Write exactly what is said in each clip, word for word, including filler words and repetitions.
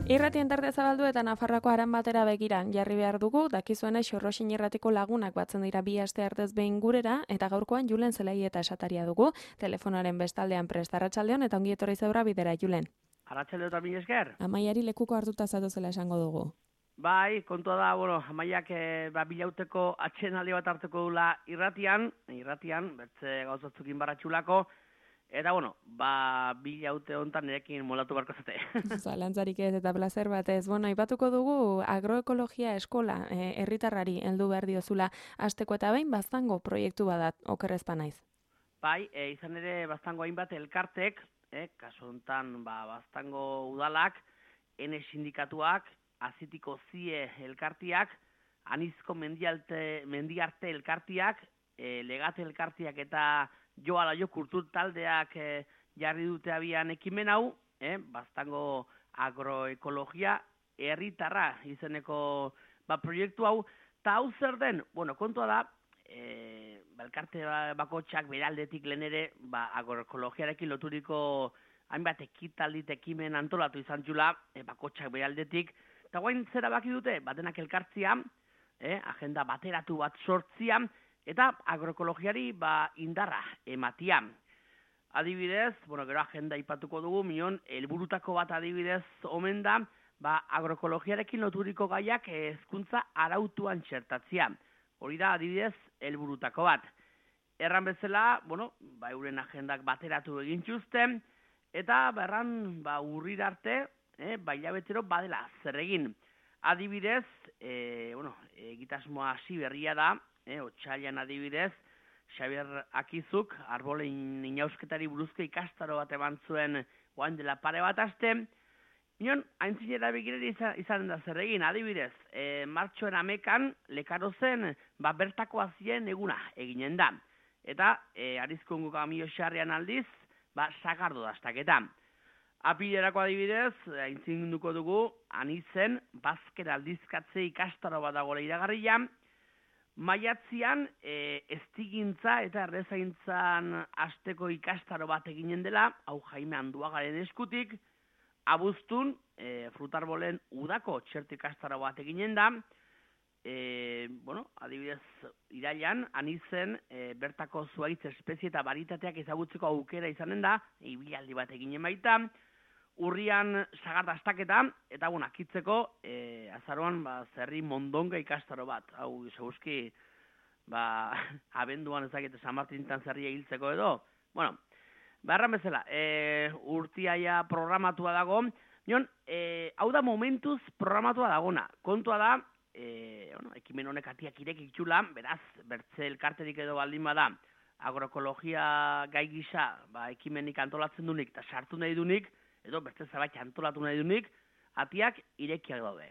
Irratien tarte zabaldu eta Nafarroako haran batera begiran jarri behar dugu, dakizuena Xorroxin irratiko lagunak batzen dira bi aste artez behin gurera, eta gaurkoan Julen Zelai eta esataria dugu, telefonoaren bestaldean prest. Arratsaldeon eta ongi etorri zaura bidera, Julen. Arratsaldeon eta mila esker. Amaiari lekuko hartuta zatozela esango dugu. Bai, kontua da, bueno, Amaiak e, ba, bilauteko atxenaldi bat hartuko dula irratian, irratian, bertze gauzatzukin baratxulako, eta, bueno, ba, bilaute honetan nirekin moldatu barko zate. Zalantzarik ez eta placer batez. Bueno, ipatuko dugu agroekologia eskola e, herritarrari heldu behar diozula hasteko eta behin baztango proiektu badat, okerrezpa naiz. Bai, e, izan ere baztango hainbat elkartek, e, kasu honetan, ba, baztango udalak, N sindikatuak, azitiko zie elkartiak, anizko mendialte, mendiarte elkartiak, e, legate elkartiak eta joala jo kultur taldeak e, jarri dute abian ekimen hau, e, baztango agroekologia herritarra izeneko ba, proiektu hau, eta hau zer den, bueno, kontua da, e, elkarte bakotxak beraldetik lehen ere, ba, agroekologiarekin loturiko hainbat ekitaldit ekimen antolatu izan jula, e, bakotxak beraldetik, eta guain zera baki dute, batenak elkartzia, eh, agenda bateratu bat sortzia, eta agroekologiari ba, indarra ematia. Adibidez, bueno, gero agenda ipatuko dugu, mion, helburutako bat adibidez omen da, ba, agroekologiarekin loturiko gaiak hezkuntza arautuan txertatzia. Hori da, adibidez, helburutako bat. Erran bezala, bueno, ba, euren agendak bateratu egin txuzten, eta berran, ba, urrir arte, Eh, baila betero badela zer egin. Adibidez, eh, bueno, egitasmoa hasi berria da, eh, otsailean adibidez, Xabier Akizuk, arbolein inausketari buruzko ikastaro bat eman zuen oain dela pare bat aste, nion, haintzinera begirari izan, izan da zer egin, adibidez, eh, martxoen amekan, lekaro zen, ba, bertako azien eguna eginen da. Eta, eh, arizkongo kamio xarrean aldiz, ba, sagardo dastaketa. Apilerako adibidez, aintzinduko dugu, anizen, bazker aldizkatze ikastaro bat dagoela iragarria, maiatzian, e, estigintza eta errezaintzan asteko ikastaro bat eginen dela, hau Jaime Anduagaren eskutik, abuztun, e, frutarbolen udako txertu ikastaro bat eginen da, e, bueno, adibidez, irailan, anizen, e, bertako zuaitz espezie eta baritateak ezagutzeko aukera izanen da, ibilaldi bat eginen baita, urrian sagar dastaketa, eta bueno, akitzeko, e, azaroan, ba, zerri mondonga ikastaro bat. Hau, seguzki, ba, abenduan ezakete San Martintan zerria hiltzeko edo. Bueno, beharran bezala, e, urtiaia programatua dago. Nion, e, hau da momentuz programatua dagona. Kontua da, e, bueno, ekimen honek atiak irekik txula, beraz, bertze elkarterik edo baldin bada, agroekologia gai gisa, ba, ekimenik antolatzen dunik, eta sartu nahi dunik, edo beste zabait antolatu nahi dunik, atiak irekiak daude.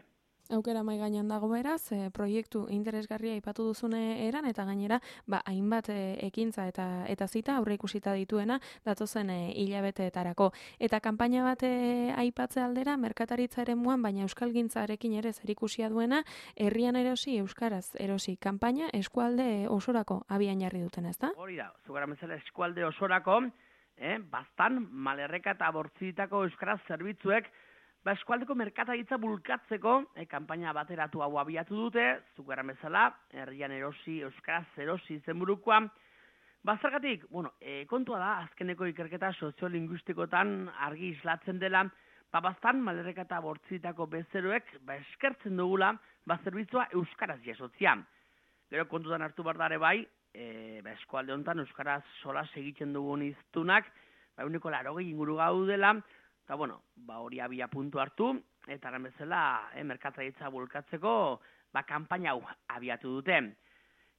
Aukera mai gainean dago beraz, e, proiektu interesgarria aipatu duzune eran, eta gainera, ba, hainbat e, ekintza eta eta zita aurre ikusita dituena datozen e, hilabeteetarako. Eta kanpaina bat e, aipatze aldera, merkataritza eremuan, baina euskalgintzarekin ere zerikusia duena, herrian erosi, euskaraz erosi, kanpaina eskualde osorako abian jarri duten, ezta? Hori da, zugara bezala eskualde osorako, Eh, bastan, malerreka eta bortzitako euskaraz zerbitzuek, ba, eskualdeko merkataritza bulkatzeko, eh, kanpaina bateratu hau abiatu dute, zugara bezala, herrian erosi, euskaraz erosi zenburukoa. Bazargatik, bueno, eh, kontua da, azkeneko ikerketa soziolinguistikotan argi islatzen dela, ba, bastan, malerreka eta bortzitako bezeroek, ba, eskertzen dugula, ba, zerbitzua euskaraz jasotzia. Gero kontutan hartu bardare bai, E, ba, eskualde honetan euskaraz sola egiten dugun iztunak, ba, uniko larogei inguru gaudela, eta bueno, ba, hori abia puntu hartu, eta eran bezala, eh, merkataritza bulkatzeko, ba, kanpaina hau abiatu dute.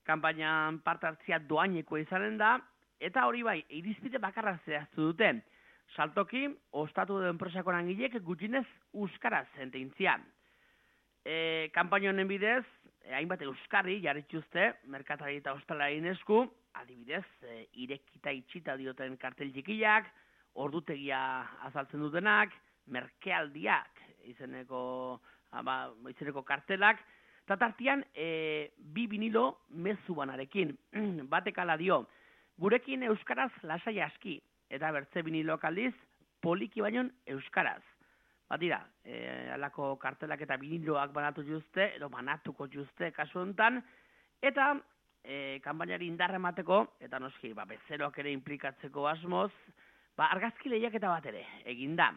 Kanpainan parte hartzia doaineko izanen da, eta hori bai, irizpide bakarra zehaztu dute. Saltoki, ostatu edo enpresako langilek gutxinez euskaraz enteintzia. E, kanpaina honen bidez, E, hainbat euskarri jarritxuzte, merkatari eta ostalaren esku, adibidez, e, irekita itxita dioten kartel txikiak, ordutegia azaltzen dutenak, merkealdiak izeneko, ama, izeneko kartelak, eta tartian e, bi vinilo mezu banarekin. Batek ala dio, gurekin euskaraz lasai aski, eta bertze vinilok aldiz poliki bainon euskaraz. Bat dira, e, alako kartelak eta biniloak banatu juzte, edo banatuko juzte kasu honetan, eta e, kanpainari indarra emateko, eta noski, ba, bezeroak ere implikatzeko asmoz, ba, argazki lehiaketa bat ere, egin da.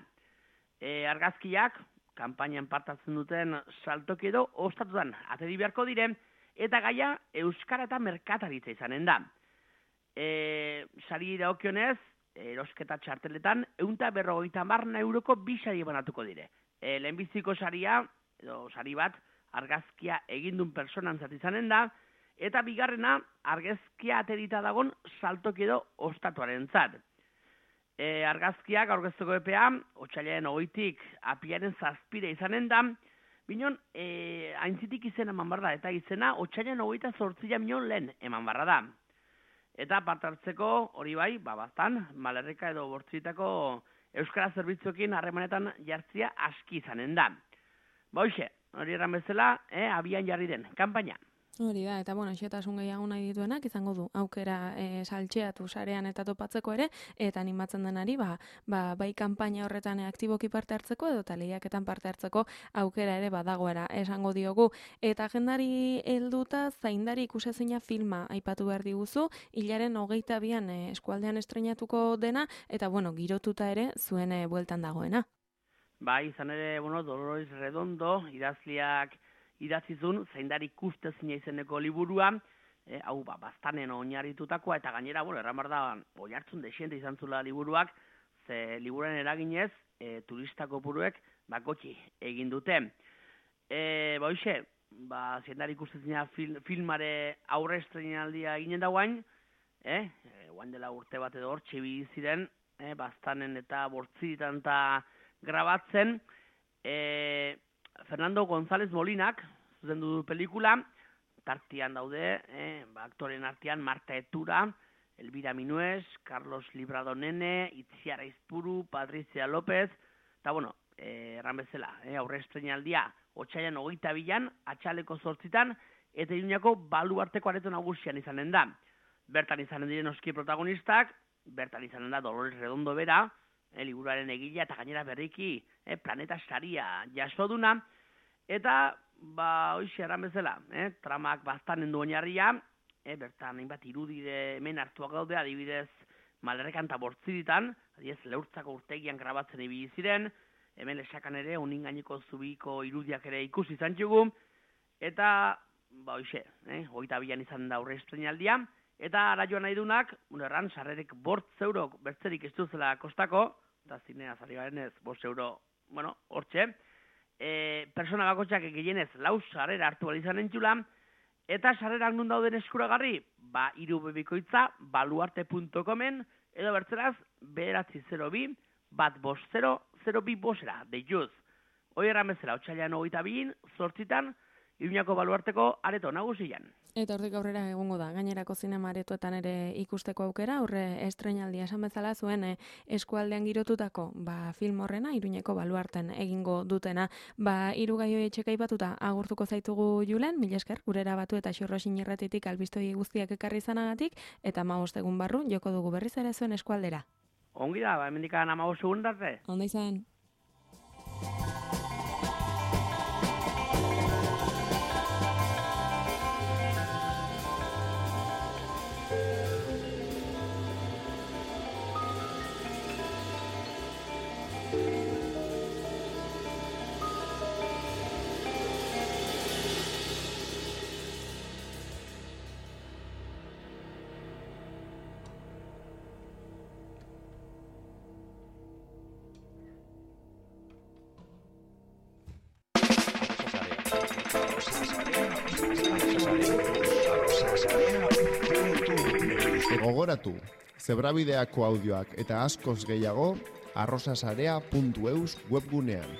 E, argazkiak, kanpainan partatzen duten saltoki edo ostatutan ateri beharko dire, eta gaia euskara eta merkataritza izanen da. E, sari dagokionez, erosketa txarteletan, eunta berrogeita marna euroko bi sari banatuko dire. E, lehenbiziko saria, edo sari bat, argazkia egindun personan zat izanen da, eta bigarrena, argazkia aterita dagon saltoki edo ostatuaren zat. E, argazkiak aurkezteko epea, otsailaren hogeitik apiaren zazpire izanen da, binon, e, aintzitik izena eman barra, eta izena otsailaren hogeita zortzila minon lehen eman barra da. Eta parte hartzeko hori bai, ba, bastan, Malerreka edo Bortzitako euskara zerbitzuekin harremanetan jartzia aski izanen da. Ba, hoxe, hori erran bezala, eh, abian jarri den, kanpaina. Hori da, eta bueno, xetasun gehiago nahi dituenak izango du aukera e, saltxeatu sarean eta topatzeko ere, eta animatzen denari, ba, ba, bai kanpaina horretan aktiboki parte hartzeko edo lehiaketan parte hartzeko aukera ere badagoera esango diogu. Eta agendari helduta zaindari ikusezina filma aipatu behar diguzu, hilaren hogeita bian e, eskualdean estrenatuko dena, eta bueno, girotuta ere zuen e, bueltan dagoena. Bai, izan ere, bueno, Dolores Redondo, idazliak idatzizun, zaindari ikustezina izeneko liburua, e, hau ba, bastanen oinarritutakoa, eta gainera, bueno, erramar da, oi hartzun desiente izan zula liburuak, ze liburuaren eraginez, e, turista kopuruek, ba, gotxi egin dute. E, ba, hoxe, ba, zaindari ikustezina fil, filmare aurre estrenaldia eginen da guain, eh? E, guain dela urte bat edo hor, txibi ziren, e, bastanen eta bortzitan eta grabatzen, e, Fernando González Molinak, zuzendu du pelikula, tartian daude, eh, ba, aktoren artean Marta Etura, Elvira Minuez, Carlos Librado Nene, Itziar Aizpuru, Patricia López, eta bueno, eh, erran bezala, eh, aurre estrenaldia, otsailean hogeita bilan, atxaleko zortzitan, eta Iruñako baluarteko areto nagusian izanen da. Bertan izanen diren oski protagonistak, bertan izanen da Dolores Redondo bera, E, liburuaren egila eta gainera berriki e, planeta saria jasoduna, eta ba, hoxe erran bezala, e, tramak bastanen du oinarria, e, bertan hainbat irudide hemen hartuak daude, adibidez Malerrekan eta Bortziritan, adibidez Leurtzako urtegian grabatzen ibili ziren, hemen Lesakan ere unin gaineko zubiko irudiak ere ikusi izan txugu, eta ba, hoxe, e, hogeita bian izan da aurre estrenaldia, eta ara joan nahi dunak, erran, sarrerek bortz euro bertzerik ez duzela kostako, eta zinea zari garenez, bost euro, bueno, hortxe, e, persona bakotxak gehienez lau sarrera hartu balizan entxula, eta sarrerak nun dauden eskuragarri, ba, iru bebikoitza, baluarte punto comen, edo bertzeraz, bederatzi zero bi, bat bost zero, zero bi bosera, de juz. Hoi erran bezala, otxailan hogeita biin, zortzitan, Iruñako baluarteko areto nagusian. Eta hortik aurrera egongo da, gainerako zinema aretoetan ere ikusteko aukera, aurre estrenaldia esan bezala zuen e, eskualdean girotutako ba, film horrena, Iruñeko baluarten egingo dutena. Ba, hiru gai horiek txeka aipatuta agurtuko zaitugu Julen, mila esker, gurera batu eta Xurrosin irratitik albistoi guztiak ekarri izanagatik, eta hamabost egun barru joko dugu berriz ere zuen eskualdera. Ongi da, ba, hemendikan hamabost egun darte. Onda izan. Gogoratu, zebrabideako audioak eta askoz gehiago arrosasarea puntu eus webgunean.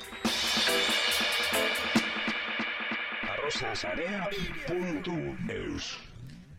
arrosasarea puntu eus